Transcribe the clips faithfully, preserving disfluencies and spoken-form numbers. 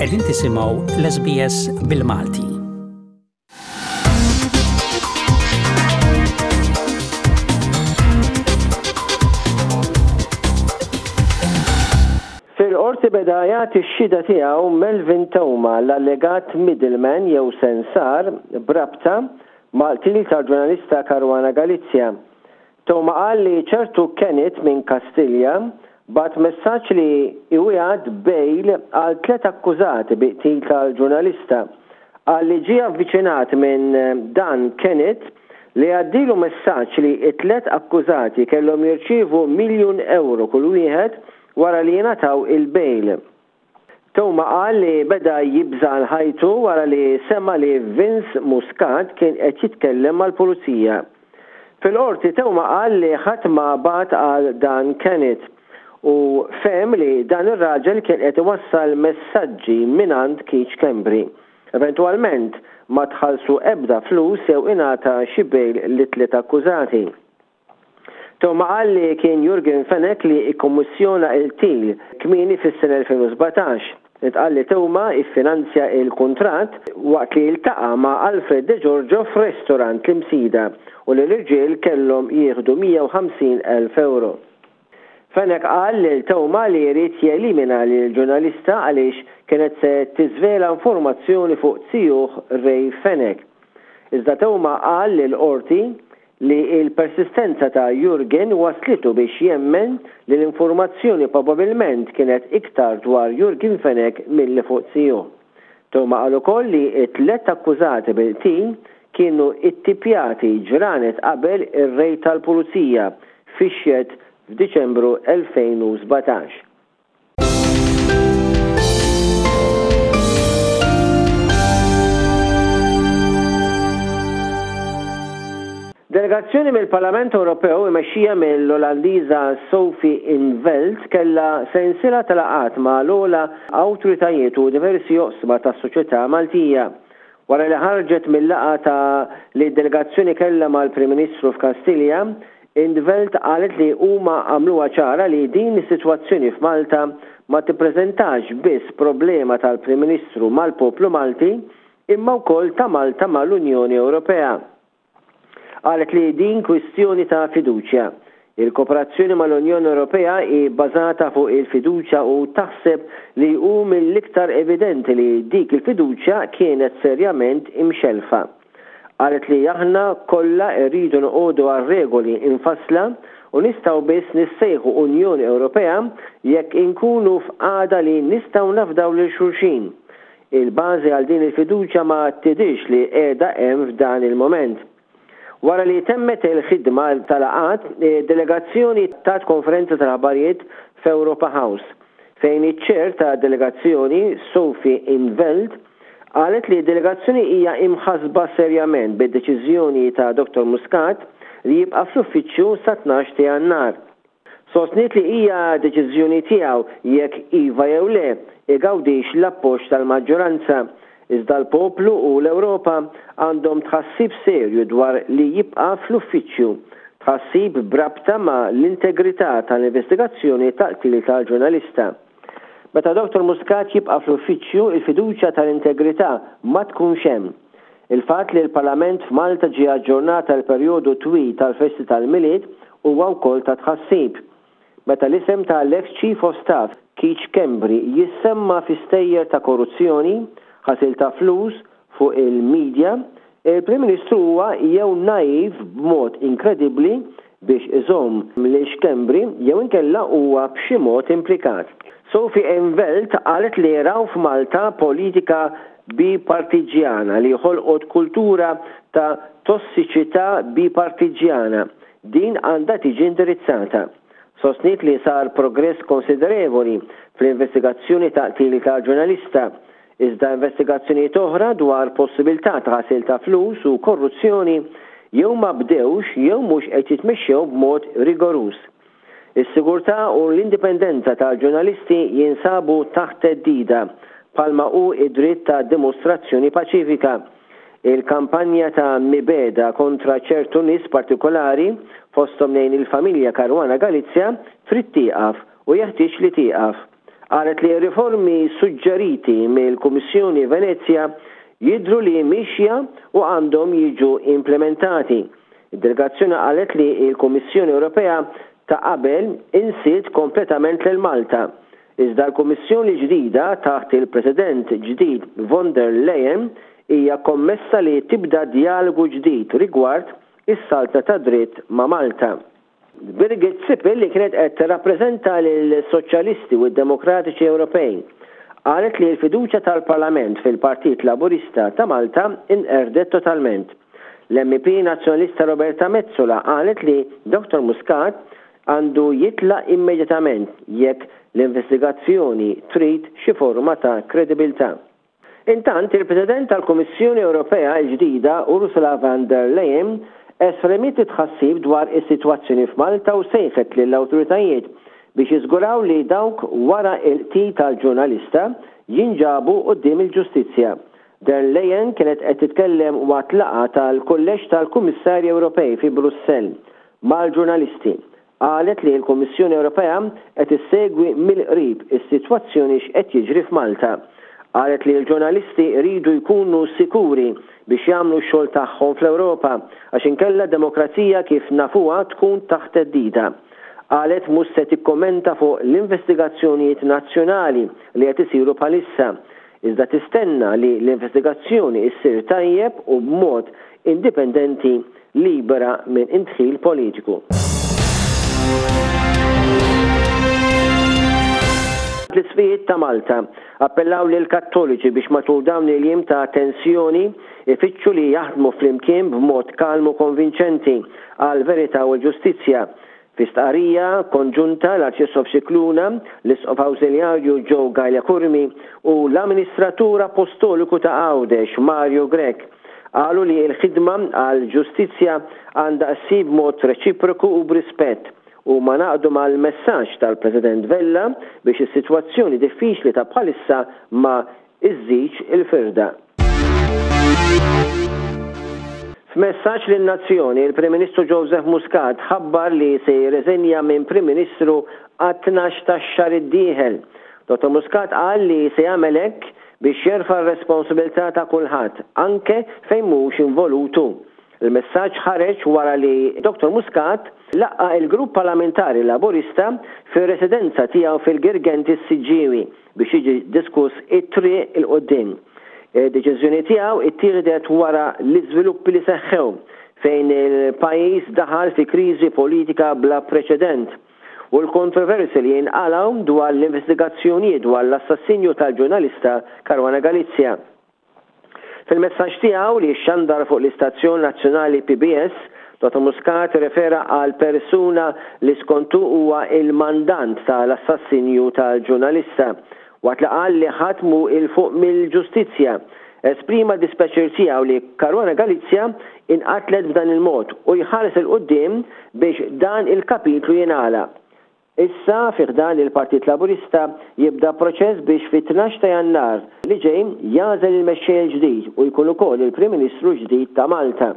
Qegħdin tisimgħu l-S B S bil-Malti. Fil-qorti beda jagħti x-xhieda tiegħu Melvin Theuma, l-allegat middleman jew sensar b'rabta mal-qtil tal-ġurnalista Caruana Galizia. Theuma qal li ċertu Kenneth minn Kastilja bagħat messaġġ li iwiegħed bail għal tliet akkużati bi qtil tal-ġurnalista. Qal li ġie avviċinat minn dan Kenneth li għaddilu messaġġ li t-tlet akkużati kellhom jirċievu miljun euro kull wieħed wara li jingħataw il-bail. Theuma qal li beda jibża għal ħajtu wara li sema li Vince Muscat kien qed jitkellem mal-pulizija. Fil-qorti Theuma qal li ħadd ma bagħat għal dan Kenneth u fehem li dan ir-raġel kien qed iwassal messaġġi mingħand Keith Schembri. Eventwalment ma tħallsu ebda flus jew ingħata xi bail lit-tliet akkużati. Theuma qal li kien Yorgen Fenech li ikkommissjona il-qtil kmieni fis-sena elfejn u sbatax. Intqal li Theuma iffinanzja il-kuntratt waqt li iltaqa' ma' Alfred De Giorgio f'restorant l-Imsida u li l-irġiel kellhom jieħdu mija u ħamsin elf euro. Fenech qal lil Theuma li jrid jelimina lil ġurnalista għaliex kienet se tiżvela informazzjoni fuq zijuh Ray Fenech. Iżda Theuma qal lil qorti li il-persistenza ta' Yorgen waslitu biex jemmen li l-informazzjoni probabilment kienet iktar dwar Yorgen Fenech milli fuq zijuh. Theuma qal ukoll li t-tlet akkużati bil-qtil kienu ittipjati ġranet qabel ir-rejd tal-pulizija fix-shed f'Diċembru elfejn u sbatax. Delegazzjoni mill-Parlament Ewropew imexxija mill-Olandiża Sophie in 't Veld kellha sensiela ta' laqgħat ma' l-ogħla awtoritajiet u diversi oqsma tas-soċjetà Maltija. Wara li ħarġet mill-laqgħa ta' li delegazzjoni kellha mal-Prim Ministru f'Kastilja, in 't Veld qalet li huma għamluha ċara li din is-sitwazzjoni f'Malta ma tippreżentax biss problema tal-Prim Ministru mal-poplu Malti imma wkoll ta' Malta mal-Unjoni Ewropea. Qalet li din kwistjoni ta' fiduċja. Il-kooperazzjoni mal-Unjoni Ewropea hi bbażata fuq il-fiduċja u taħseb li hu mill-iktar evidenti li dik il-fiduċja kienet serjament imxelfa. Qalet li aħna kollha rridu noqogħdu għal regoli infassla u nistgħu biss nissejħu Unjoni Ewropea jekk inkunu f'qagħda li nistgħu nafdaw lil xulxin. Il-bażi għal din il-fiduċja ma tidhirx li qiegħda hemm f'dan il-moment. Wara li temmet il-ħidma tal-laqgħat, delegazzjoni tat konferenza tal-aħbarijiet f'Europa House, fejn iċ-chair ta' delegazzjoni Sophie in 't Veld qalet li delegazzjoni hija imħasba serjament bid-deċiżjoni ta' Doktor Muscat li jibqa' fl-uffiċċju sa tnax ta' Jannar. Sostniet li hija deċiżjoni tiegħu jekk iva jew le igawdix l-appoġġ tal-maġġoranza. Iżda l-poplu u l-Ewropa għandhom tħassib serju dwar li jibqa' fl-uffiċċju, tħassib brabta ma' l-integrità tal-investigazzjoni tal-qtil tal-ġurnalista. Meta Doktor Muscat jibqa' fl-uffiċċju, il-fiduċja tal-integrità ma tkunx hemm. Il-fatt li l-Parlament f'Malta ġie aġġornat għal perjodu twil tal-festi tal-Milied huwa wkoll ta' tħassib. Meta l-isem tal-ex Chief of Staff Keith Schembri jissemma fi stejjer ta' korruzzjoni, ħasil ta' flus fuq il-medja, il-Prim Ministru huwa jew naiv b'mod inkredibbli biex iżomm lil Schembri jew inkella huwa b'xi mod implikat. Sophie in 't Veld qalet li raw f'Malta politika bipartiġjana li ħolqot kultura ta' tossiċità bipartiġjana. Din għandha tiġi indirizzata. Sostniet li sar progress konsiderevoli fl-investigazzjoni ta' qtil ta' ġurnalista, iżda investigazzjonijiet oħra dwar possibilità ta' ħasil ta' flus u korruzzjoni jew ma bdewx jew mhux qed jitmexxew b'mod rigoruż. Is-sigurtà u l-indipendenza tal-ġurnalisti jinsabu taħt theddida bħalma hu id-dritt ta' dimostrazzjoni paċifika. Il-kampanja ta' mibegħda kontra ċertu nies partikolari, fosthom lejn il-familja Caruana Galizia, trid tieqaf u jeħtieġ li tieqaf. Qalet li riformi suġġeriti mill-Kummissjoni Venezja jidhru li mixja u għandhom jiġu implementati. Id-delegazzjoni qalet li l-Kummissjoni Ewropea ta' qabel insiet kompletament lil Malta. Iżda l-Kummissjoni ġdida taħt il-President ġdid von der Leyen hija kommessa li tibda dialogu ġdid rigward is-saltna tad-dritt ma' Malta. Birgit Sippel, li kienet qed tirrappreżenta lill-Soċjalisti u d-Demokratiċi Ewropej, qalet li l-fiduċja tal-Parlament fil-Partit Laburista ta' Malta inqerdet totalment. L-M E P Nazzjonalista Roberta Metsola qalet li Dottor Muscat għandu jitlaq immedjatament jekk l-investigazzjoni trid xi forma ta' kredibilità. Intant, il-President tal-Kummissjoni Ewropea l-ġdida Ursula von der Leyen esprimiet tħassib dwar is-sitwazzjoni f'Malta u sejħet lill-awtoritajiet biex jiżguraw li dawk wara il-qtil tal-ġurnalista jinġabu quddiem il-ġustizzja. Der Leyen kienet qed titkellem waqt laqgħa tal-Kulleġġ tal-Kummissarji Ewropej fi Brussell mal-ġurnalisti. Qalet li l-Kummissjoni Ewropea qed issegwi mill-qrib is-sitwazzjoni x'qed jiġri f'Malta. Qalet li l-ġurnalisti jridu jkunu sikuri biex jagħmlu x-xogħol tagħhom fl-Ewropa, għax inkella demokrazija kif nafuha tkun taħt theddida. Qalet mhux se tikkommenta fuq l-investigazzjonijiet nazzjonali li qed isiru bħalissa, iżda tistenna li l-investigazzjoni issir tajjeb u b'mod indipendenti, libera minn indħil politiku. L-Isqfijiet ta' Malta appellaw lil Kattoliċi biex matul dawn il-jiem ta' tensjoni ifittxu li jaħdmu flimkien b'mod kalmu konvinċenti għal verità u l-ġustizzja. Fi stqarrija konġunta, l-Arċisqof Scicluna, l-Isqof Awżiljarju Joe Galea Curmi u l-Amministratur Apostoliku ta' Għawdex Mario Grech qalu li l-ħidma għal ġustizzja għandha ssir b'mod reċiproku u b'rispett u ma naqdu mal-messaġġ tal-President Vella biex is-sitwazzjoni diffiċli ta' bħalissa ma iżżidx il-firda. F'messaġġ lin-nazzjoni, il-Prim Ministru Joseph Muscat ħabbar li se jirreżenja minn Prim Ministru għat-tnax tax-xahar id-dieħel. Dottor Muscat qal li se jagħmel hekk biex jerfa' r-responsabilità ta' kulħadd, anke fejn mhux involutu. Il-messaġġ ħareġ wara li Dottor Muscat laqqa il-grupp parlamentari Laburista fir-residenza tiegħu fil-Girgenti s-Siġġiewi biex jiġi diskuss it-triq il quddiem. Deċiżjoni tiegħu ittieħdet wara l-iżviluppi li seħħew fejn il-pajjiż daħal fi kriżi politika bla preċedent u l-kontroversi li jinqalgħu dwar l-investigazzjonijiet dwar l-assassinju tal-ġurnalista Caruana Galizia. Fil-messaġġ tiegħu li xandar fuq l-istazzjon nazzjonali P B S, Dottor Muscat refera għal persuna li skontu huwa il-mandant tal-assassinju tal-ġurnalista, waqt li qal li ħadd mhu 'l fuq mill-ġustizzja. Esprima dispjaċir tiegħu li Caruana Galizia inqatlet b'dan il-mod u jħares 'il quddiem biex dan il-kapitlu jingħalaq. Issa fi ħdan il-Partit Laburista jibda proċess biex fit-tnax ta' Jannar li ġej jagħżel il-mexxej il-ġdid u jkun ukoll il-Prim Ministru ġdid ta' Malta.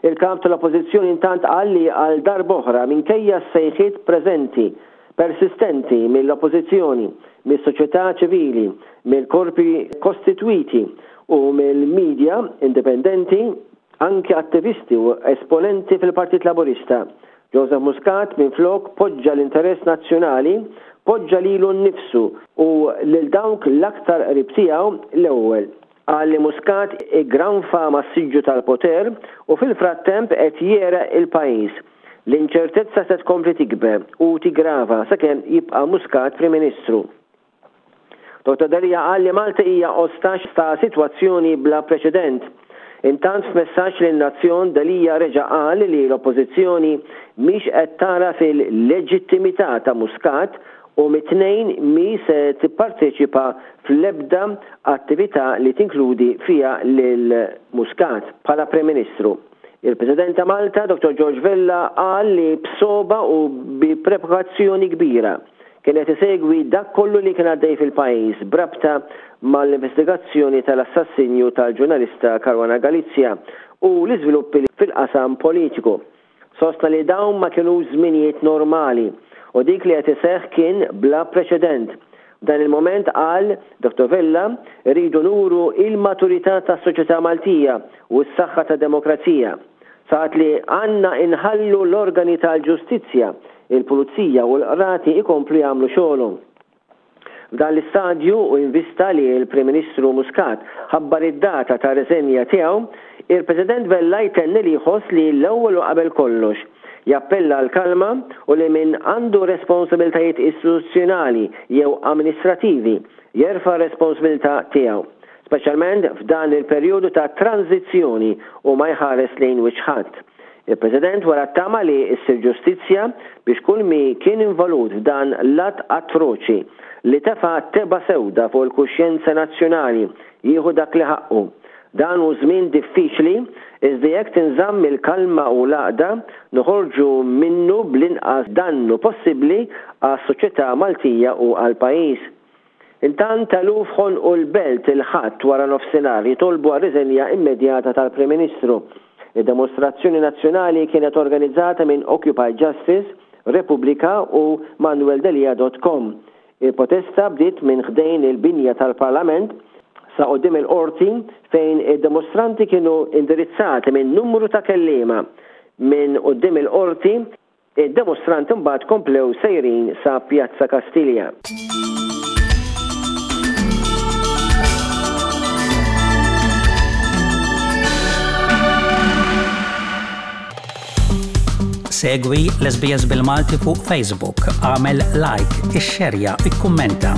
Il-kap tal-Oppożizzjoni intant qal li għal darb'oħra, minkejja s-sejħiet preżenti persistenti mill-Oppożizzjoni, mis-soċjetà ċivili, mill-korpi kostitwiti u mill-medja indipendenti, anke attivisti u esponenti fil-Partit Laburista, Joseph Muscat minflok poġġa l-interess nazzjonali, poġġa lilu nnifsu u lil dawk l-aktar qrib tiegħu l-ewwel. Qal li Muscat iggranfa mas-siġġu tal-poter u fil-frattemp qed jegħreq il-pajjiż. L-inċertezza se tkompli tikber u tigrava sakemm jibqa' Muscat Prim Ministru. Dottor Delia qal li Malta hija ostaġġ ta' sitwazzjoni bla preċedent. Intant, f'messaġġ lin-nazzjon, Delia reġa' qal li l-Oppożizzjoni mhix qed tara fil-leġittimità ta' Muscat u mit-Tnejn mhi se tipparteċipa fl-ebda attività li tinkludi fiha lil Muscat bħala Prim Ministru. Il-President ta' Malta, Dottor George Vella, qal li b'sogħba u bi preokkupazzjoni kbira kienet isegwi dak kollu li kien għaddej fil-pajjiż b'rabta mal-investigazzjoni tal-assassinju tal-ġurnalista Caruana Galizia u l-iżviluppi fil-qasam politiku. Sostna li dawn ma kienu żminijiet normali u dik li qed iseħħ kien bla preċedent. Dan il-moment, qal Dottor Vella, rridu nuru il-maturità tas-soċjetà Maltija u s-saħħa tad-demokrazija. Saħaq li għandna inħallu l-organi tal-ġustizzja, il-pulizija u l-qrati ikomplu jagħmlu xogħolhom. F'dan l-istadju u invista li l-Prim Ministru Muscat ħabbar id-data ta' riżenja tiegħu, il-President Vella jtenni li jħoss li l-ewwel u qabel kollox jappella l-kalma u li min għandu responsabiltajiet istituzzjonali jew amministrativi jerfa' responsabilità tiegħu, speċjalment f'dan il-perjodu ta' tranzizzjoni, u ma jħares lejn wiċċ ħadd. Il-President wera t-tama li ssir ġustizzja biex kull min kien involut f'dan l-att atroċi li tefa' tebgħa sewda fuq il-kuxjenza nazzjonali jieħu dak li ħaqqu. Dan hu żmien diffiċli, iżda jekk tinżamm il-kalma u l-għaqda noħorġu minnu bl-inqas dannu possibbli għas-soċjetà Maltija u għall-pajjiż. Intant, eluf ħonqu l-Belt il-Ħadd wara nofsinhar jitolbu għar-riżenja immedjata tal-Prim Ministru. Id-demostrazzjoni nazzjonali kienet organizzata minn Occupy Justice, Repubblika u manueldelia punt com. Il-protesta bdiet minn ħdejn il-binja tal-Parlament sa quddiem il-qorti, fejn id-demostranti kienu indirizzati minn numru ta' kellima. Minn quddiem il-qorti, id-demostranti mbagħad komplew sejrin sa Pjazza Kastilja. Segwi l-S B S bil-Malti fuq Facebook, għamel like, ixxerja, ikkummenta.